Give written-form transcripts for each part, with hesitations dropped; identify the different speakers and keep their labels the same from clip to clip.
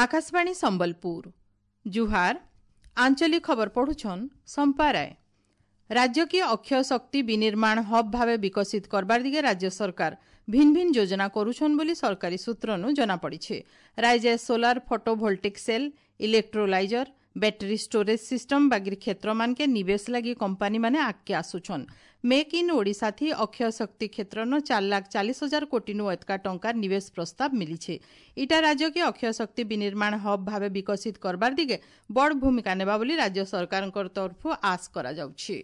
Speaker 1: ଆକାଶବାଣୀ ସମ୍ବଲପୁର। ଜୁହାର। ଆଞ୍ଚଳିକ ଖବର ପଢୁଛନ୍ ସମ୍ପା ରାୟ। ରାଜ୍ୟକେ ଅକ୍ଷୟ ଶକ୍ତି ବିନିର୍ମାଣ ହବ୍ ଭାବେ ବିକଶିତ କରବାର ଦିଗେ ରାଜ୍ୟ ସରକାର ଭିନ୍ ଭିନ୍ ଯୋଜନା କରୁଛନ୍ ବୋଲି ସରକାରୀ ସୂତ୍ରନୁ ଜଣାପଡ଼ିছে। ରାଜ୍ୟ solar photovoltaic cell, electrolyser, battery storage system ବାଗିର କ୍ଷେତ୍ରମାନକେ ନିବେଶ ଲାଗି କମ୍ପାନୀମାନେ ଆଗକେ ଆସୁଛନ୍। ମେକ୍ ଇନ୍ ଓଡ଼ିଶା ଥି ଅକ୍ଷୟ ଶକ୍ତି କ୍ଷେତ୍ରନ 4,40,000 କୋଟିନୁ ଏତକା ଟଙ୍କାର ନିବେଶ ପ୍ରସ୍ତାବ ମିଲିଛେ। ଇଟା ରାଜ୍ୟକେ ଅକ୍ଷୟ ଶକ୍ତି ବିନିର୍ମାଣ ହବ୍ ଭାବେ ବିକଶିତ କରବାର ଦିଗେ ବଡ଼ ଭୂମିକା ନେବା ବୋଲି ରାଜ୍ୟ ସରକାରଙ୍କର ତରଫରୁ ଆଶ କରାଯାଉଛି।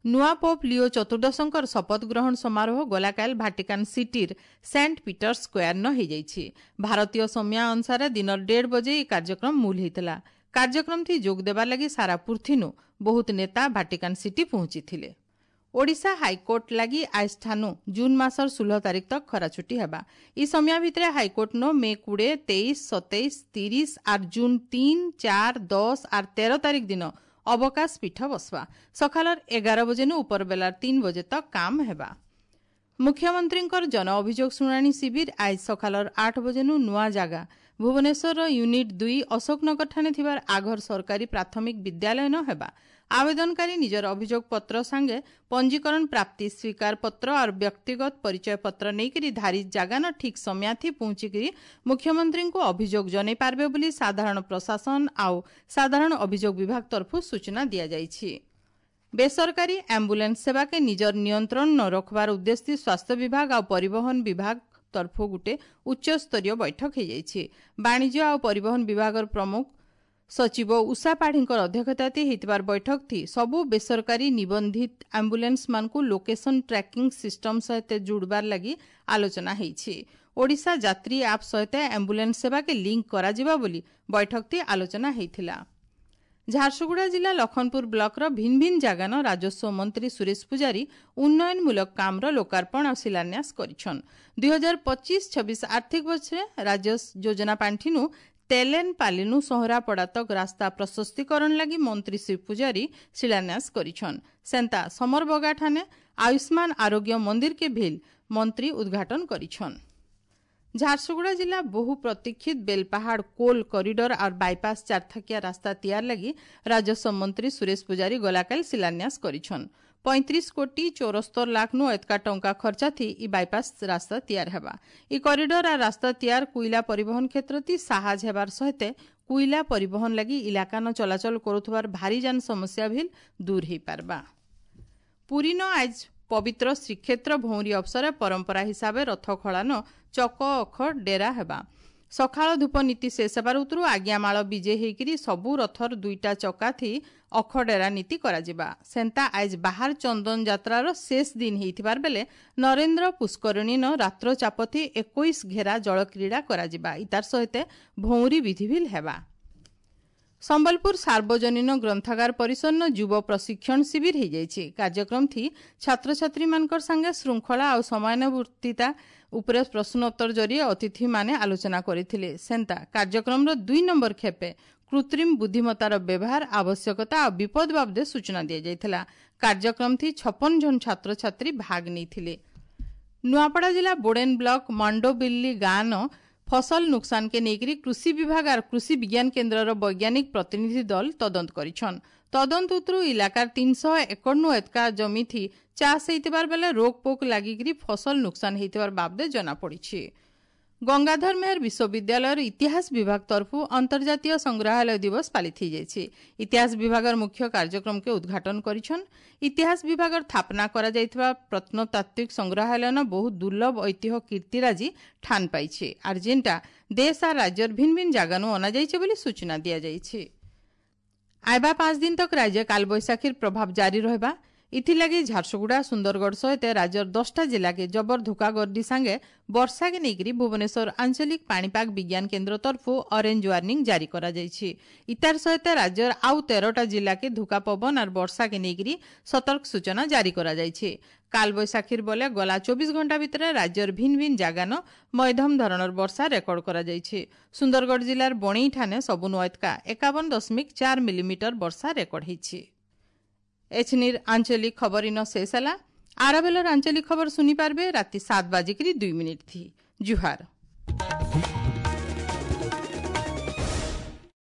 Speaker 1: ନୂଆ ପୋପ୍ ଲିଓ ଚତୁର୍ଦ୍ଦଶଙ୍କର ଶପଥ ଗ୍ରହଣ ସମାରୋହ ଗଲାକାଲ ଭାଟିକାନ ସିଟିର ସେଣ୍ଟ ପିଟର୍ସ ସ୍କୋୟାର ହୋଇଯାଇଛି। ଭାରତୀୟ ସମୟ ଅନୁସାରେ ଦିନର 1:30 ବଜେ ଏହି କାର୍ଯ୍ୟକ୍ରମ ମୂଲ ହୋଇଥିଲା। କାର୍ଯ୍ୟକ୍ରମଥି ଯୋଗ ଦେବାର ଲାଗି ସାରା ପୃଥିନୁ ବହୁତ ନେତା ଭାଟିକାନ ସିଟି ପହଞ୍ଚିଥିଲେ। ଓଡ଼ିଶା ହାଇକୋର୍ଟ ଲାଗି ଆଜଠାନୁ ଜୁନ୍ ମାସର 16 ତାରିଖ ତକ ଖରାଛୁଟି ହେବା। ଇ ସମୟ ଭିତରେ ହାଇକୋର୍ଟ ନ ମେ 20, 23, 27, 30 ଆର୍ ଜୁନ୍ 3, 4, 10 ଆର୍ 13 ତାରିଖ ଦିନ ଅବକାଶ ପୀଠ ବସବା। ସକାଳର 11 ବଜେନୁ ଉପର ବେଲାର 3 ବଜେ ତକ କାମ ହେବା। ମୁଖ୍ୟମନ୍ତ୍ରୀଙ୍କର ଜନ ଅଭିଯୋଗ ଶୁଣାଣି ଶିବିର ଆଜ ସକାଳର 8 ବଜେନୁ ନୂଆ ଜାଗା ଭୁବନେଶ୍ୱରର ୟୁନିଟ୍ 2 ଅଶୋକନଗର ଠାନେ ଥିବାର ଆଘର ସରକାରୀ ପ୍ରାଥମିକ ବିଦ୍ୟାଳୟ ନ ହେବା। ଆବେଦନକାରୀ ନିଜର ଅଭିଯୋଗ ପତ୍ର ସାଙ୍ଗେ ପଞ୍ଜୀକରଣ ପ୍ରାପ୍ତି ସ୍ୱୀକାର ପତ୍ର ଆର୍ ବ୍ୟକ୍ତିଗତ ପରିଚୟ ପତ୍ର ନେଇକରି ଧାରି ଜାଗାନ ଠିକ୍ ସମୟାଥି ପହଞ୍ଚିକରି ମୁଖ୍ୟମନ୍ତ୍ରୀଙ୍କୁ ଅଭିଯୋଗ ଜଣାଇ ପାରବେ ବୋଲି ସାଧାରଣ ପ୍ରଶାସନ ଆଉ ସାଧାରଣ ଅଭିଯୋଗ ବିଭାଗ ତରଫରୁ ସୂଚନା ଦିଆଯାଇଛି। ବେସରକାରୀ ଆମ୍ବୁଲାନ୍ସ ସେବାକେ ନିଜର ନିୟନ୍ତ୍ରଣ ନ ରଖବାର ଉଦ୍ଦେଶ୍ୟ ସ୍ୱାସ୍ଥ୍ୟ ବିଭାଗ ଆଉ ପରିବହନ ବିଭାଗ ତରଫରୁ ଗୋଟେ ଉଚ୍ଚସ୍ତରୀୟ ବୈଠକ ହୋଇଯାଇଛି। ବାଣିଜ୍ୟ ଆଉ ପରିବହନ ବିଭାଗର ପ୍ରମୁଖ ସଚିବ ଉଷା ପାଢ଼ୀଙ୍କର ଅଧ୍ୟକ୍ଷତାରେ ହୋଇଥିବାର ବୈଠକ ଥି ସବୁ ବେସରକାରୀ ନିବନ୍ଧିତ ଆମ୍ବୁଲାନ୍ସମାନଙ୍କୁ ଲୋକେସନ ଟ୍ରାକିଂ ସିଷ୍ଟମ ସହିତ ଯୋଡ଼ବାର ଲାଗି ଆଲୋଚନା ହୋଇଛି। ଓଡ଼ିଶା ଯାତ୍ରୀ ଆପ୍ ସହିତ ଆମ୍ବୁଲାନ୍ସ ସେବାକେ ଲିଙ୍କ କରାଯିବା ବୋଲି ବୈଠକ ଥି ଆଲୋଚନା ହୋଇଥିଲା। ଝାରସୁଗୁଡ଼ା ଜିଲ୍ଲା ଲଖନପୁର ବ୍ଲକର ଭିନ୍ ଭିନ୍ ଜାଗାନ ରାଜସ୍ୱ ମନ୍ତ୍ରୀ ସୁରେଶ ପୂଜାରୀ ଉନ୍ନୟନମୂଳକ କାମର ଲୋକାର୍ପଣ ଆଉ ଶିଳାନ୍ୟାସ କରିଛନ୍। 2025-26 ଆର୍ଥିକ ବର୍ଷରେ ରାଜ୍ୟ ଯୋଜନା ପାଣ୍ଠିନୁ ତେଲେନ ପାଲିନୁ ସହରାପଡ଼ା ତକ ରାସ୍ତା ପ୍ରଶସ୍ତିକରଣ ଲାଗି ମନ୍ତ୍ରୀ ଶ୍ରୀ ପୂଜାରୀ ଶିଳାନ୍ୟାସ କରିଛନ୍। ସେନ୍ତା ସମରବଗା ଠାନେ ଆୟୁଷ୍ମାନ ଆରୋଗ୍ୟ ମନ୍ଦିରକେ ଭିଲ୍ ମନ୍ତ୍ରୀ ଉଦ୍ଘାଟନ କରିଛନ୍। ଝାରସୁଗୁଡ଼ା ଜିଲ୍ଲା ବହୁ ପ୍ରତୀକ୍ଷିତ ବେଲପାହାଡ଼ କୋଲ୍ କରିଡର ଆଉ ବାଇପାସ୍ ଚାରଥାକିଆ ରାସ୍ତା ତିଆର ଲାଗି ରାଜସ୍ୱ ମନ୍ତ୍ରୀ ସୁରେଶ ପୂଜାରୀ ଗଲାକାଲ ଶିଳାନ୍ୟାସ କରିଛନ୍। 35 କୋଟି 74 ଲାଖ ନୁ ଏତକା ଟଙ୍କା ଖର୍ଚ୍ଚା ଥି ଇ ବାଇପାସ୍ ରାସ୍ତା ତିଆର ହେବା। ଇ କରିଡର ଆର୍ ରାସ୍ତା ତିଆର କୁଇଲା ପରିବହନ କ୍ଷେତ୍ରତି ସାହାଜ ହେବାର ସହିତ କୁଇଲା ପରିବହନ ଲାଗି ଇଲାକାନ ଚଳାଚଳ କରୁଥିବାର ଭାରୀ ଯାନ ସମସ୍ୟା ଭିଲ୍ ଦୂର ହେଇପାରବା। ପୁରୀନ ଆଜ ପବିତ୍ର ଶ୍ରୀକ୍ଷେତ୍ର ଭଉଁରୀ ଅବସରେ ପରମ୍ପରା ହିସାବେ ରଥ ଖଳାନ ଚକ ଅଖ ଡେରା ହେବା। ସକାଳ ଧୂପ ନୀତି ଶେଷ ହେବାର ଉତରୁ ଆଜ୍ଞାମାଳ ବିଜେ ହେଇକିରି ସବୁ ରଥର 2ଟା ଚକା ଥି ଅଖ ଡେରା ନୀତି କରାଯିବା। ସେନ୍ତା ଆଜ ବାହାର ଚନ୍ଦନ ଯାତ୍ରାର ଶେଷ ଦିନ ହେଇଥିବାର ବେଲେ ନରେନ୍ଦ୍ର ପୁଷ୍କରିଣୀନ ରାତ୍ର ଚାପଥି 21 ଘେରା ଜଳକ୍ରୀଡ଼ା କରାଯିବା। ଇତାର ସହିତ ଭଉଁରୀ ବିଧି ଭିଲ୍ ହେବା। ସମ୍ବଲପୁର ସାର୍ବଜନୀନ ଗ୍ରନ୍ଥାଗାର ପରିସରନ ଯୁବ ପ୍ରଶିକ୍ଷଣ ଶିବିର ହୋଇଯାଇଛି। କାର୍ଯ୍ୟକ୍ରମ ଥି ଛାତ୍ରଛାତ୍ରୀମାନଙ୍କର ସାଙ୍ଗେ ଶୃଙ୍ଖଳା ଆଉ ସମୟାନୁବର୍ତ୍ତିତା ଉପରେ ପ୍ରଶ୍ନୋତ୍ତର ଜରିଏ ଅତିଥିମାନେ ଆଲୋଚନା କରିଥିଲେ। ସେନ୍ତା କାର୍ଯ୍ୟକ୍ରମର 2 ନମ୍ବର ଖେପେ କୃତ୍ରିମ ବୁଦ୍ଧିମତ୍ତାର ବ୍ୟବହାର ଆବଶ୍ୟକତା ଆଉ ବିପଦ ବାବଦେ ସୂଚନା ଦିଆଯାଇଥିଲା। କାର୍ଯ୍ୟକ୍ରମ ଥି 56 ଜଣ ଛାତ୍ରଛାତ୍ରୀ ଭାଗ ନେଇଥିଲେ। ନୂଆପଡ଼ା ଜିଲ୍ଲା ବୋଡେନ ବ୍ଲକ ମାଣ୍ଡୋବିଲ୍ଲି ଗାଁନ ଫସଲ ନୁକସାନକେ ନେଇକରି କୃଷି ବିଭାଗ ଆର୍ କୃଷି ବିଜ୍ଞାନ କେନ୍ଦ୍ରର ବୈଜ୍ଞାନିକ ପ୍ରତିନିଧି ଦଳ ତଦନ୍ତ କରିଛନ୍। ତଦନ୍ତ ଉତରୁ ଇଲାକାର 300 ଏକରନୁ ଏତକା ଜମି ଥି ଚାଷ ହେଇଥିବାର ବେଲେ ରୋଗ ପୋକ ଲାଗିକିରି ଫସଲ ନୁକସାନ ହେଇଥିବାର ବାବଦେ ଜଣାପଡ଼ିଛି। ଗଙ୍ଗାଧର ମେହେର ବିଶ୍ୱବିଦ୍ୟାଳୟର ଇତିହାସ ବିଭାଗ ତରଫରୁ ଅନ୍ତର୍ଜାତୀୟ ସଂଗ୍ରହାଳୟ ଦିବସ ପାଳିତ ହୋଇଯାଇଛି। ଇତିହାସ ବିଭାଗର ମୁଖ୍ୟ କାର୍ଯ୍ୟକ୍ରମକେ ଉଦ୍ଘାଟନ କରିଛନ୍। ଇତିହାସ ବିଭାଗର ସ୍ଥାପନା କରାଯାଇଥିବା ପ୍ରତ୍ନତାତ୍ତ୍ୱିକ ସଂଗ୍ରହାଳୟନ ବହୁ ଦୁର୍ଲଭ ଐତିହ୍ୟ କୀର୍ତ୍ତିରାଜି ଠାନ ପାଇছে, ଆର୍ ଯେନ୍ଟା ଦେଶ ଆର୍ ରାଜ୍ୟର ଭିନ୍ ଭିନ୍ ଜାଗାନୁ ଅଣାଯାଇଛି ବୋଲି ସୂଚନା ଦିଆଯାଇଛି। ଆଇବା 5 ଦିନ ତକ ରାଜ୍ୟ କାଲବୈଶାଖୀର ପ୍ରଭାବ ଜାରି ରହିବା। ଇଥିଲାଗି ଝାରସୁଗୁଡ଼ା, ସୁନ୍ଦରଗଡ଼ ସହିତ ରାଜ୍ୟର 10ଟା ଜିଲ୍ଲାକେ ଜବର ଧୋକା ଗର୍ଡି ସାଙ୍ଗେ ବର୍ଷାକେ ନେଇକରି ଭୁବନେଶ୍ୱର ଆଞ୍ଚଳିକ ପାଣିପାଗ ବିଜ୍ଞାନ କେନ୍ଦ୍ର ତରଫରୁ ଅରେଞ୍ଜ ୱାର୍ଣ୍ଣିଂ ଜାରି କରାଯାଇଛି। ଇତାର ସହିତ ରାଜ୍ୟର ଆଉ 13ଟା ଜିଲ୍ଲାକେ ଧୋକା ପବନ ଆର୍ ବର୍ଷାକେ ନେଇକରି ସତର୍କ ସୂଚନା ଜାରି କରାଯାଇଛି। କାଲବୈଶାଖୀର ବଲେ ଗଲା 24 ଘଣ୍ଟା ଭିତରେ ରାଜ୍ୟର ଭିନ୍ ଭିନ୍ ଜାଗାନ ମଧ୍ୟମ ଧରଣର ବର୍ଷା ରେକର୍ଡ କରାଯାଇଛି। ସୁନ୍ଦରଗଡ଼ ଜିଲ୍ଲାର ବଣେଇଠାନେ ସବୁ ନୂଆ 51.4 ମିଲିମିଟର ବର୍ଷା ରେକର୍ଡ ହେଇଛି। ଏଛନିର ଆଞ୍ଚଳିକ ଖବର ଇନ ଶେଷ ହେଲା। ଆରବେଲର ଆଞ୍ଚଳିକ ଖବର ଶୁଣିପାରିବେ ରାତି 7:02 ଥି। ଜୁହାର।